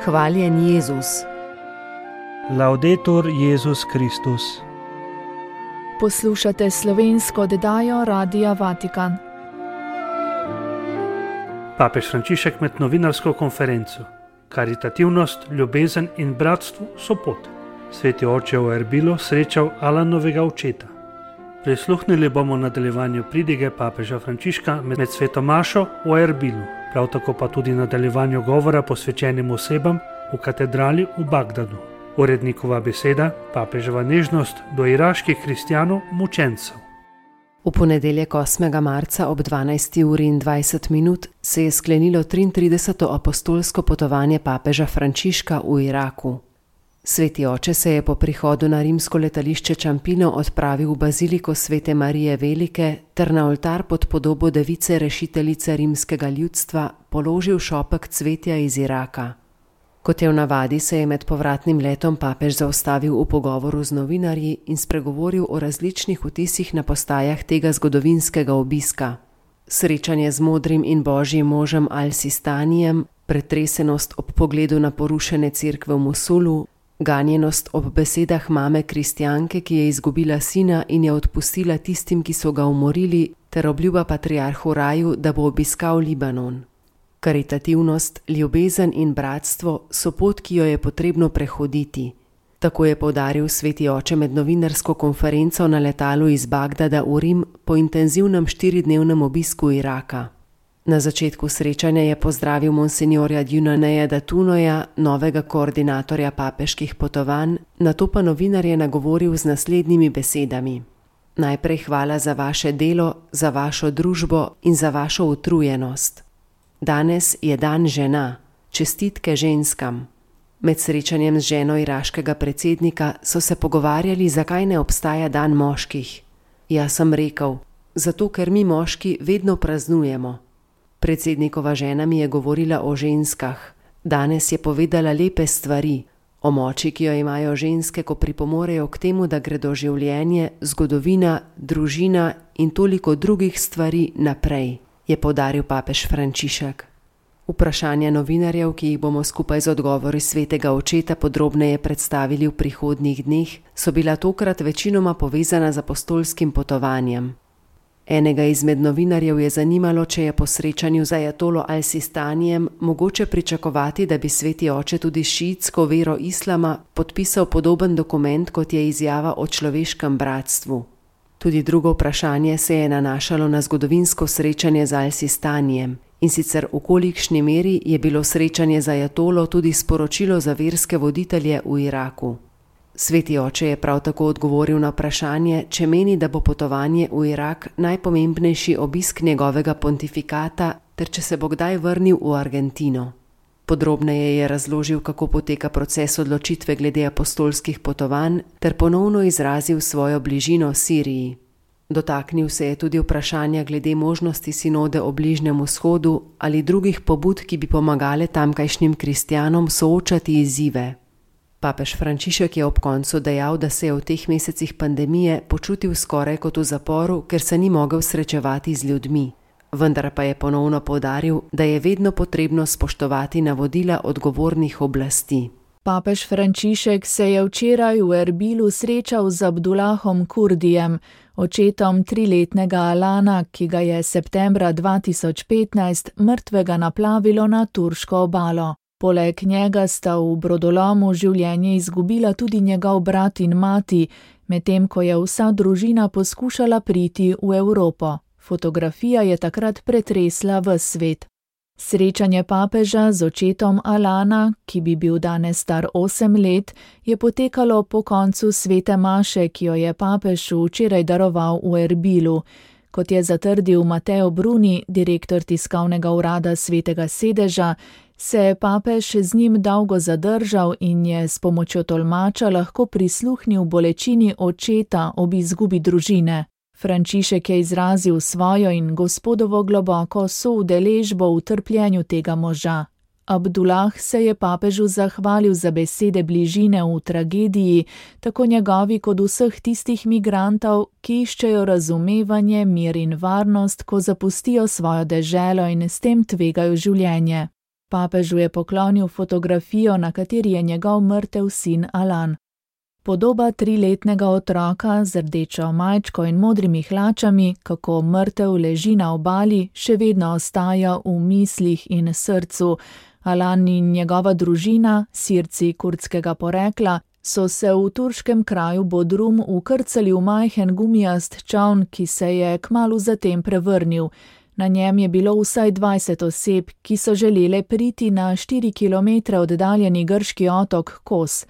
Hvaljen Jezus. Laudetur Jezus Kristus. Poslušate slovensko oddajo Radia Vatikan. Papež Frančišek med novinarsko konferenco. Karitativnost, ljubezen in bratstvo so pot. Sveti oče v Erbilu srečal Alanovega očeta. Prisluhnili bomo nadaljevanju pridige papeža Frančiška med sveto mašo v Erbilu, prav tako pa tudi nadaljevanju govora posvečenim osebam v katedrali v Bagdadu. Urednikova beseda, papeževa nežnost do iraških kristjanov mučencev. V ponedeljek 8. marca ob 12:20 se je sklenilo 33. apostolsko potovanje papeža Frančiška v Iraku. Sveti oče se je po prihodu na rimsko letališče Ciampino odpravil v baziliko Svete Marije Velike ter na oltar pod podobo device rešiteljice rimskega ljudstva položil šopek cvetja iz Iraka. Kot je v navadi, se je med povratnim letom papež zaustavil v pogovoru z novinarji in spregovoril o različnih vtisih na postajah tega zgodovinskega obiska. Srečanje z modrim in božjim možem Al-Sistanijem, pretresenost ob pogledu na porušene cerkve v Mosulu, ganjenost ob besedah mame kristjanke, ki je izgubila sina in je odpustila tistim, ki so ga umorili, ter obljuba patriarhu Raju, da bo obiskal Libanon. Karitativnost, ljubezen in bratstvo so pot, ki jo je potrebno prehoditi. Tako je poudaril sveti oče med novinarsko konferenco na letalu iz Bagdada v Rim po intenzivnem 4-dnevnem obisku Iraka. Na začetku srečanja je pozdravil monsinjorja Djunaneja Datunoja, novega koordinatorja papeških potovanj, nato pa novinarje nagovoril z naslednjimi besedami. Najprej hvala za vaše delo, za vašo družbo in za vašo utrujenost. Danes je dan žena, čestitke ženskam. Med srečanjem z ženo iraškega predsednika so se pogovarjali, zakaj ne obstaja dan moških. Jaz sem rekel, zato ker mi moški vedno praznujemo. Predsednikova žena mi je govorila o ženskah. Danes je povedala lepe stvari, o moči, ki jo imajo ženske, ko pripomorejo k temu, da gredo življenje, zgodovina, družina in toliko drugih stvari naprej, je poudaril papež Frančišek. Vprašanja novinarjev, ki jih bomo skupaj z odgovori svetega očeta podrobneje predstavili v prihodnjih dneh, so bila tokrat večinoma povezana z apostolskim potovanjem. Enega izmed novinarjev je zanimalo, če je po srečanju z ajatolo Al-Sistanijem mogoče pričakovati, da bi sveti oče tudi šiitsko vero islama podpisal podoben dokument, kot je izjava o človeškem bratstvu. Tudi drugo vprašanje se je nanašalo na zgodovinsko srečanje z Al-Sistanijem, in sicer v kolikšni meri je bilo srečanje z ajatolo tudi sporočilo za verske voditelje v Iraku. Sveti oče je prav tako odgovoril na vprašanje, če meni, da bo potovanje v Irak najpomembnejši obisk njegovega pontifikata, ter če se bo kdaj vrnil v Argentino. Podrobneje je razložil, kako poteka proces odločitve glede apostolskih potovanj, ter ponovno izrazil svojo bližino Siriji. Dotaknil se je tudi vprašanja glede možnosti sinode o Bližnjem vzhodu ali drugih pobud, ki bi pomagale tamkajšnjim kristjanom soočati izzive. Papež Frančišek je ob koncu dejal, da se je v teh mesecih pandemije počutil skoraj kot v zaporu, ker se ni mogel srečevati z ljudmi. Vendar pa je ponovno poudaril, da je vedno potrebno spoštovati navodila odgovornih oblasti. Papež Frančišek se je včeraj v Erbilu srečal z Abdulahom Kurdijem, očetom 3-letnega Alana, ki ga je septembra 2015 mrtvega naplavilo na turško obalo. Poleg njega sta v brodolomu življenje izgubila tudi njegov brat in mati, medtem ko je vsa družina poskušala priti v Evropo. Fotografija je takrat pretresla ves svet. Srečanje papeža z očetom Alana, ki bi bil danes star 8 let, je potekalo po koncu svete maše, ki jo je papež včeraj daroval v Erbilu. Kot je zatrdil Mateo Bruni, direktor tiskovnega urada Svetega sedeža, se je papež z njim dolgo zadržal in je s pomočjo tolmača lahko prisluhnil bolečini očeta ob izgubi družine. Frančišek je izrazil svojo in Gospodovo globoko soudeležbo v trpljenju tega moža. Abdulah se je papežu zahvalil za besede bližine v tragediji, tako njegovi kot vseh tistih migrantov, ki iščejo razumevanje, mir in varnost, ko zapustijo svojo deželo in s tem tvegajo življenje. Papežu je poklonil fotografijo, na kateri je njegov mrtev sin Alan. Podoba 3-letnega otroka z rdečo majčko in modrimi hlačami, kako mrtev leži na obali, še vedno ostaja v mislih in srcu. Alan in njegova družina, Sirci kurdskega porekla, so se v turškem kraju Bodrum ukrcali v majhen gumijast čoln, ki se je kmalu zatem prevrnil. Na njem je bilo vsaj 20 oseb, ki so želele priti na 4 kilometre oddaljeni grški otok Kos.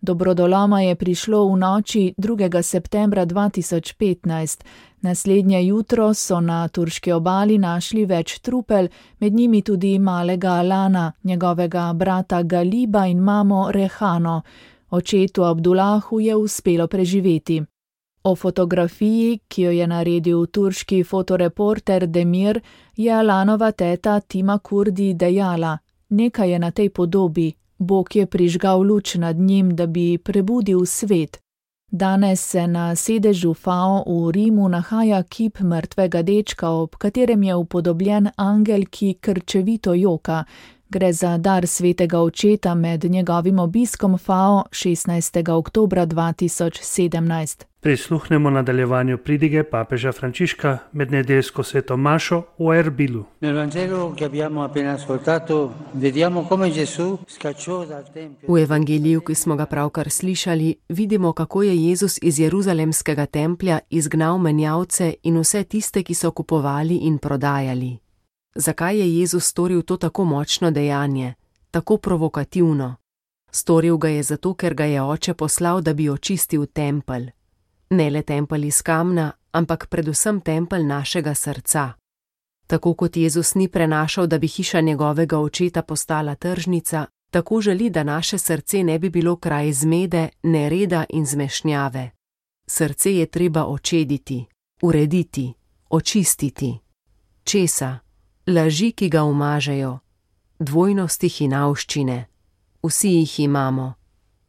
Do brodoloma je prišlo v noči 2. septembra 2015. Naslednje jutro so na turški obali našli več trupel, med njimi tudi malega Alana, njegovega brata Galiba in mamo Rehano. Očetu Abdulahu je uspelo preživeti. O fotografiji, ki jo je naredil turški fotoreporter Demir, je Alanova teta Tima Kurdi dejala: "Nekaj je na tej podobi. Bog je prižgal luč nad njim, da bi prebudil svet." Danes se na sedežu FAO v Rimu nahaja kip mrtvega dečka, ob katerem je upodobljen angel, ki krčevito joka. Gre za dar svetega očeta med njegovim obiskom FAO 16. oktobra 2017. Prisluhnemo nadaljevanju pridige papeža Frančiška med nedeljsko sveto mašo v Erbilu. V evangeliju, ki smo ga pravkar slišali, vidimo, kako je Jezus iz jeruzalemskega templja izgnal menjavce in vse tiste, ki so kupovali in prodajali. Zakaj je Jezus storil to tako močno dejanje, tako provokativno? Storil ga je zato, ker ga je oče poslal, da bi očistil tempelj. Ne le tempelj iz kamna, ampak predvsem tempelj našega srca. Tako kot Jezus ni prenašal, da bi hiša njegovega očeta postala tržnica, tako želi, da naše srce ne bi bilo kraj zmede, nereda in zmešnjave. Srce je treba očediti, urediti, očistiti. Česa? Laži, ki ga umažejo, dvojnosti hinavščine. Vsi jih imamo.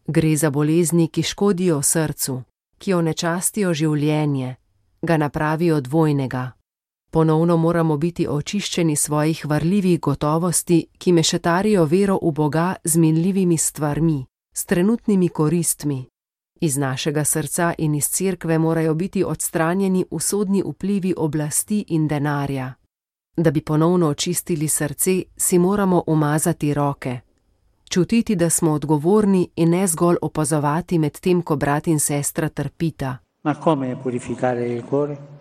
Gre za bolezni, ki škodijo srcu, ki onečastijo življenje, ga napravijo dvojnega. Ponovno moramo biti očiščeni svojih varljivih gotovosti, ki mešetarijo vero v Boga z minljivimi stvarmi, s trenutnimi koristmi. Iz našega srca in iz cerkve morajo biti odstranjeni usodni vplivi oblasti in denarja. Da bi ponovno očistili srce, si moramo umazati roke. Čutiti, da smo odgovorni in ne zgolj opazovati med tem, ko brat in sestra trpita.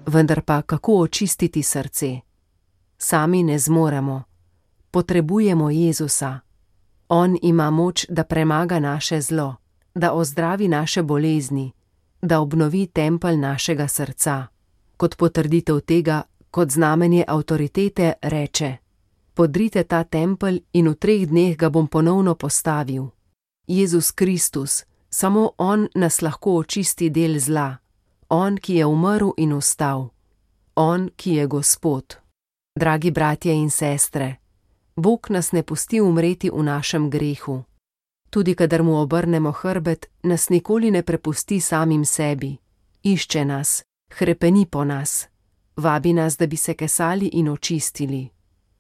Vendar pa kako očistiti srce? Sami ne zmoremo. Potrebujemo Jezusa. On ima moč, da premaga naše zlo, da ozdravi naše bolezni, da obnovi tempelj našega srca. Kot potrditev tega, kot znamenje avtoritete reče: "Podrite ta tempelj in v 3 dneh ga bom ponovno postavil." Jezus Kristus, samo on nas lahko očisti del zla. On, ki je umrl in vstal. On, ki je Gospod. Dragi bratje in sestre, Bog nas ne pusti umreti v našem grehu. Tudi kadar mu obrnemo hrbet, nas nikoli ne prepusti samim sebi. Išče nas, hrepeni po nas. Vabi nas, da bi se kesali in očistili.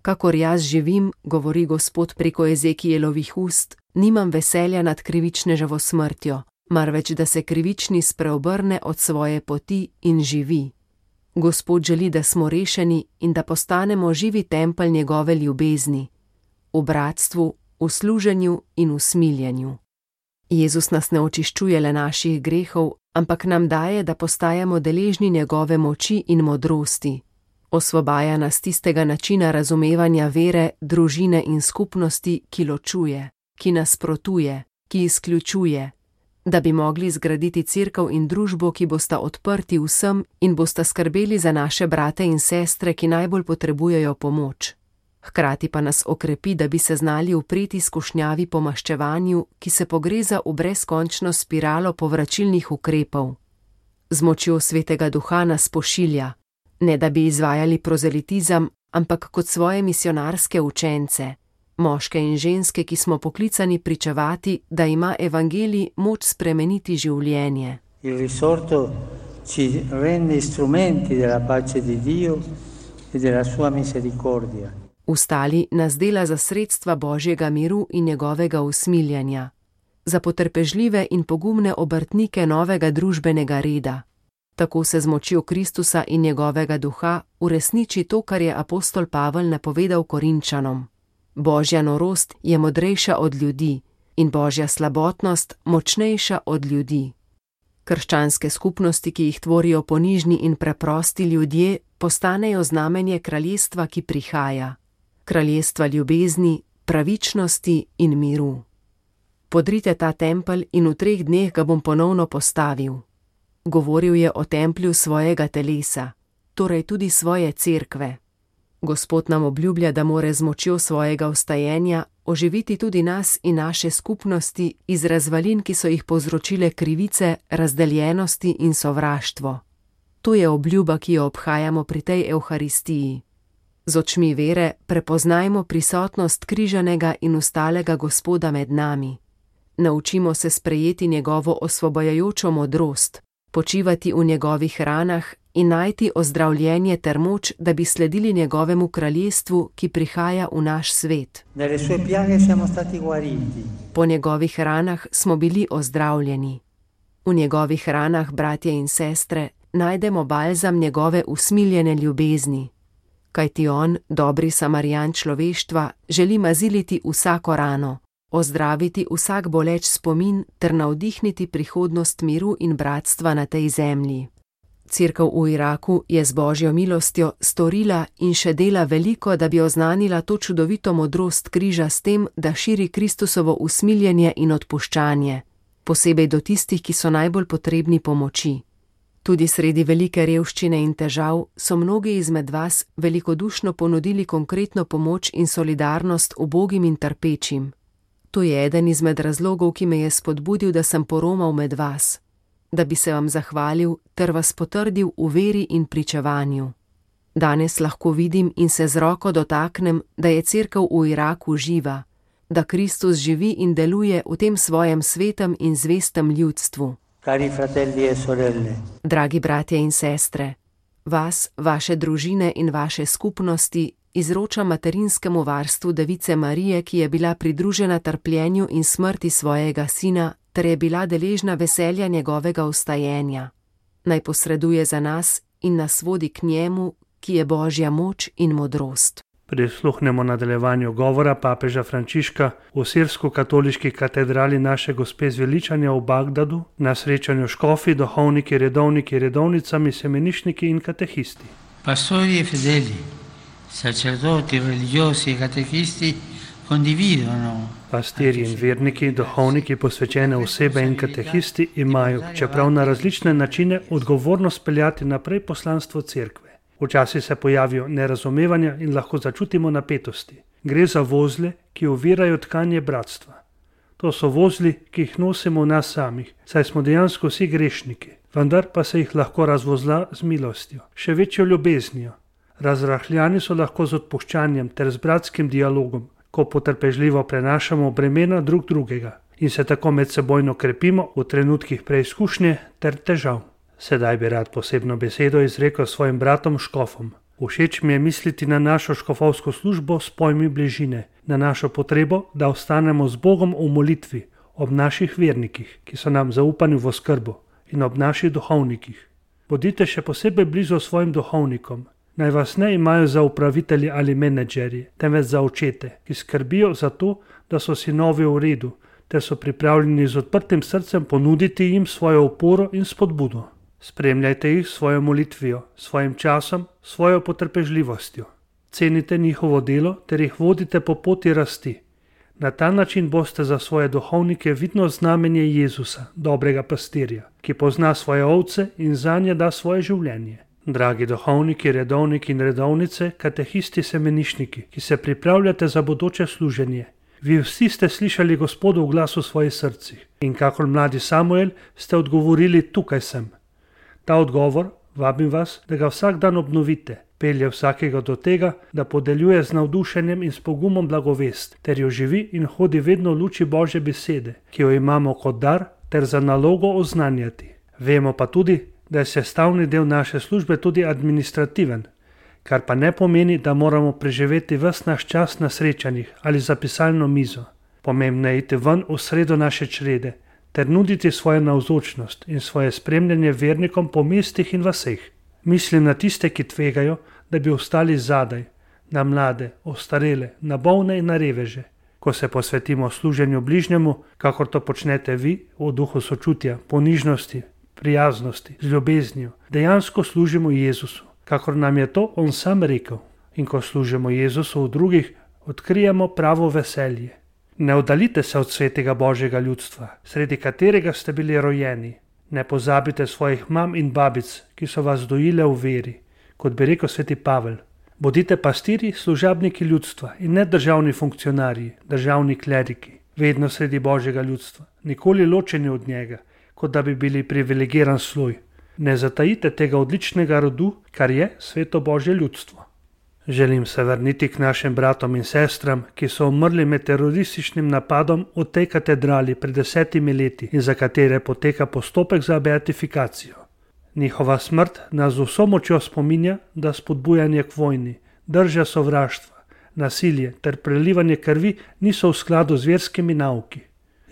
Kakor jaz živim, govori Gospod preko Ezekielovih ust, nimam veselja nad krivičneževo smrtjo, marveč da se krivični spreobrne od svoje poti in živi. Gospod želi, da smo rešeni in da postanemo živi tempelj njegove ljubezni, v bratstvu, v služenju in v smiljenju. Jezus nas ne očiščuje le naših grehov, ampak nam daje, da postajamo deležni njegove moči in modrosti. Osvobaja nas tistega načina razumevanja vere, družine in skupnosti, ki ločuje, ki nasprotuje, ki izključuje, da bi mogli zgraditi cerkev in družbo, ki bosta odprti vsem in bosta skrbeli za naše brate in sestre, ki najbolj potrebujejo pomoč. Hkrati pa nas okrepi, da bi se znali upreti skušnjavi po maščevanju, ki se pogreza v brezkončno spiralo povračilnih ukrepov. Z močjo Svetega Duha nas pošilja, ne da bi izvajali prozelitizem, ampak kot svoje misionarske učence, moške in ženske, ki smo poklicani pričevati, da ima evangelij moč spremeniti življenje. Il risorto ci rende strumenti della pace di Dio e della sua misericordia. Vstali nas dela za sredstva Božjega miru in njegovega usmiljenja, za potrpežljive in pogumne obrtnike novega družbenega reda. Tako se z močjo Kristusa in njegovega duha uresniči to, kar je apostol Pavel napovedal Korinčanom. Božja norost je modrejša od ljudi in Božja slabotnost močnejša od ljudi. Krščanske skupnosti, ki jih tvorijo ponižni in preprosti ljudje, postanejo znamenje kraljestva, ki prihaja. Kraljestva ljubezni, pravičnosti in miru. Podrite ta tempelj in v 3 dneh ga bom ponovno postavil. Govoril je o templju svojega telesa, torej tudi svoje cerkve. Gospod nam obljublja, da more z močjo svojega vstajenja oživiti tudi nas in naše skupnosti iz razvalin, ki so jih povzročile krivice, razdeljenosti in sovraštvo. To je obljuba, ki jo obhajamo pri tej evharistiji. Z očmi vere prepoznajmo prisotnost križanega in ustalega Gospoda med nami. Naučimo se sprejeti njegovo osvobajajočo modrost, počivati v njegovih ranah in najti ozdravljenje ter moč, da bi sledili njegovemu kraljestvu, ki prihaja v naš svet. Po njegovih ranah smo bili ozdravljeni. V njegovih ranah, bratje in sestre, najdemo balzam njegove usmiljene ljubezni. Kajti on, dobri Samarijan človeštva, želi maziliti vsako rano, ozdraviti vsak boleč spomin ter navdihniti prihodnost miru in bratstva na tej zemlji. Cerkev v Iraku je z Božjo milostjo storila in še dela veliko, da bi oznanila to čudovito modrost križa s tem, da širi Kristusovo usmiljenje in odpuščanje, posebej do tistih, ki so najbolj potrebni pomoči. Tudi sredi velike revščine in težav so mnogi izmed vas velikodušno ponudili konkretno pomoč in solidarnost ubogim in trpečim. To je eden izmed razlogov, ki me je spodbudil, da sem poromal med vas, da bi se vam zahvalil ter vas potrdil v veri in pričevanju. Danes lahko vidim in se z roko dotaknem, da je cerkev v Iraku živa, da Kristus živi in deluje v tem svojem svetem in zvestem ljudstvu. Cari fratelli e sorelle. Dragi bratje in sestre, vas, vaše družine in vaše skupnosti izroča materinskemu varstvu Device Marije, ki je bila pridružena trpljenju in smrti svojega sina, ter je bila deležna veselja njegovega vstajenja. Naj posreduje za nas in nas vodi k njemu, ki je Božja moč in modrost. Prisluhnemo nadaljevanju govora papeža Frančiška v sirsko-katoliški katedrali Naše Gospe zveličanja v Bagdadu na srečanju škofi, duhovniki, redovniki, redovnicami, semenišniki in katehisti. Pastori e fedeli, sacerdoti, religiosi e catechisti condividono. Pastirji in verniki, duhovniki, posvečene osebe in katehisti imajo, čeprav na različne načine, odgovornost peljati naprej poslanstvo cerkve. Včasih se pojavijo nerazumevanja in lahko začutimo napetosti. Gre za vozle, ki ovirajo tkanje bratstva. To so vozli, ki jih nosimo v nas samih, saj smo dejansko vsi grešniki, vendar pa se jih lahko razvozla z milostjo, še večjo ljubeznijo. Razrahljani so lahko z odpuščanjem ter z bratskim dialogom, ko potrpežljivo prenašamo bremena drug drugega in se tako medsebojno krepimo v trenutkih preizkušnje ter težav. Sedaj bi rad posebno besedo izrekel svojim bratom škofom. Všeč mi je misliti na našo škofovsko službo s pojmi bližine, na našo potrebo, da ostanemo z Bogom v molitvi, ob naših vernikih, ki so nam zaupani v oskrbo, in ob naših duhovnikih. Bodite še posebej blizu svojim duhovnikom. Naj vas ne imajo za upravitelji ali menedžerji, temveč za očete, ki skrbijo za to, da so sinovi v redu, ter so pripravljeni z odprtim srcem ponuditi jim svojo oporo in spodbudo. Spremljajte jih svojo molitvijo, svojim časom, svojo potrpežljivostjo. Cenite njihovo delo ter jih vodite po poti rasti. Na ta način boste za svoje duhovnike vidno znamenje Jezusa, dobrega pastirja, ki pozna svoje ovce in zanje da svoje življenje. Dragi duhovniki, redovniki in redovnice, katehisti, semenišniki, ki se pripravljate za bodoče služenje. Vi vsi ste slišali Gospodov glas v svojih srcih in kakor mladi Samuel ste odgovorili: tukaj sem. Ta odgovor, vabim vas, da ga vsak dan obnovite, pelje vsakega do tega, da podeljuje z navdušenjem in s pogumom blagovest, ter jo živi in hodi vedno v luči Božje besede, ki jo imamo kot dar ter za nalogo oznanjati. Vemo pa tudi, da je sestavni del naše službe tudi administrativen, kar pa ne pomeni, da moramo preživeti ves naš čas na srečanjih ali za pisalno mizo. Pomembno je iti ven v sredo naše črede ter nuditi svojo navzočnost in svoje spremljanje vernikom po mestih in vaseh. Mislim na tiste, ki tvegajo, da bi ostali zadaj, na mlade, ostarele, na bolne in na reveže. Ko se posvetimo služenju bližnjemu, kakor to počnete vi, v duhu sočutja, ponižnosti, prijaznosti, z ljubeznijo, dejansko služimo Jezusu, kakor nam je to On sam rekel. In ko služimo Jezusu v drugih, odkrijemo pravo veselje. Ne oddalite se od svetega Božjega ljudstva, sredi katerega ste bili rojeni. Ne pozabite svojih mam in babic, ki so vas dojile v veri, kot bi rekel sveti Pavel. Bodite pastirji, služabniki ljudstva in ne državni funkcionarji, državni kleriki, vedno sredi Božjega ljudstva, nikoli ločeni od njega, kot da bi bili privilegiran sloj. Ne zatajite tega odličnega rodu, kar je sveto Božje ljudstvo. Želim se vrniti k našim bratom in sestram, ki so umrli med terorističnim napadom v tej katedrali pred 10 leti in za katere poteka postopek za beatifikacijo. Njihova smrt nas z vso močjo spominja, da spodbujanje k vojni, drža sovraštva, nasilje ter prelivanje krvi niso v skladu z verskimi nauki.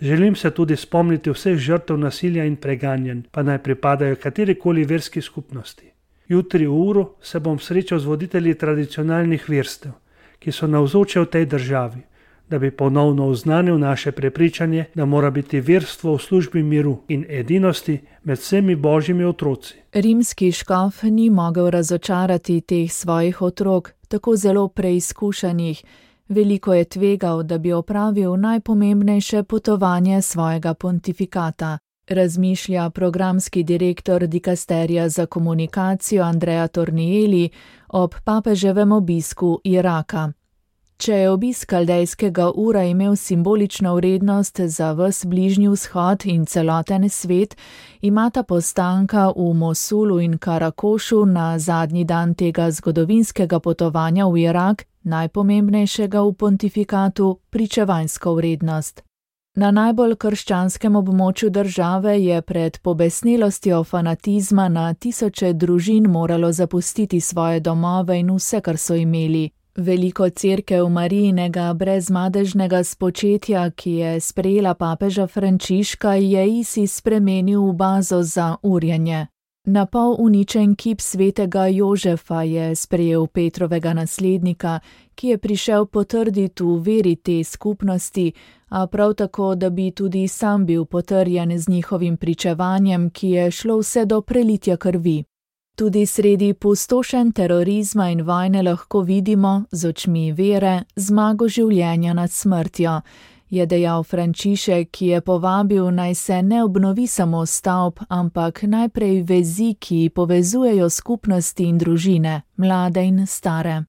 Želim se tudi spomniti vseh žrtev nasilja in preganjanj, pa naj pripadajo katerikoli verski skupnosti. Jutri v uru se bom srečal z voditelji tradicionalnih verstev, ki so navzoči v tej državi, da bi ponovno oznanil naše prepričanje, da mora biti verstvo v službi miru in edinosti med vsemi Božjimi otroci. Rimski škof ni mogel razočarati teh svojih otrok, tako zelo preizkušenih. Veliko je tvegal, da bi opravil najpomembnejše potovanje svojega pontifikata. Razmišlja programski direktor dikasterija za komunikacijo Andrea Tornielli ob papeževem obisku Iraka. Če je obisk kaldejskega Ura imel simbolično vrednost za ves Bližnji vzhod in celoten svet, imata postanka v Mosulu in Karakošu na zadnji dan tega zgodovinskega potovanja v Irak, najpomembnejšega v pontifikatu, pričevanjsko vrednost. Na najbolj krščanskem območju države je pred pobesnelostjo fanatizma na tisoče družin moralo zapustiti svoje domove in vse, kar so imeli. Veliko cerkev Marijinega brezmadežnega spočetja, ki je sprejela papeža Frančiška, je ISIS spremenil v bazo za urjenje. Napol uničen kip svetega Jožefa je sprejel Petrovega naslednika, ki je prišel potrditi v veri te skupnosti, a prav tako, da bi tudi sam bil potrjen z njihovim pričevanjem, ki je šlo vse do prelitja krvi. Tudi sredi pustošenj terorizma in vojne lahko vidimo, z očmi vere, zmago življenja nad smrtjo, je dejal Frančišek, ki je povabil, naj se ne obnovi samo stavb, ampak najprej vezi, ki povezujejo skupnosti in družine, mlade in stare.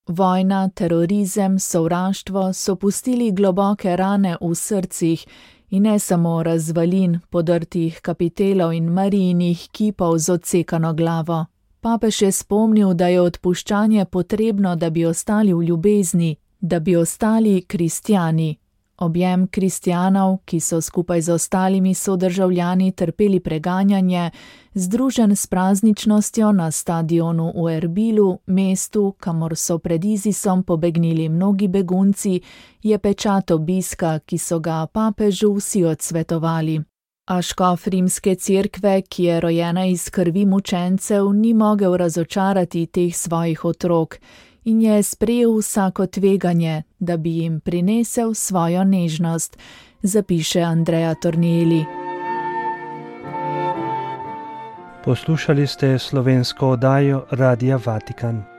Vojna, terorizem, sovraštvo so pustili globoke rane v srcih in ne samo razvalin, podrtih kapitelov in Marijinih kipov z odsekano glavo. Papež je spomnil, da je odpuščanje potrebno, da bi ostali v ljubezni, da bi ostali kristjani. Objem kristjanov, ki so skupaj z ostalimi sodržavljani trpeli preganjanje, združen s prazničnostjo na stadionu v Erbilu, mestu, kamor so pred ISISom pobegnili mnogi begunci, je pečat obiska, ki so ga papežu vsi odsvetovali. A škof rimske cerkve, ki je rojena iz krvi mučencev, ni mogel razočarati teh svojih otrok in je sprejel vsako tveganje, da bi jim prinesel svojo nežnost, zapiše Andrea Tornielli. Poslušali ste slovensko oddajo Radia Vatikan.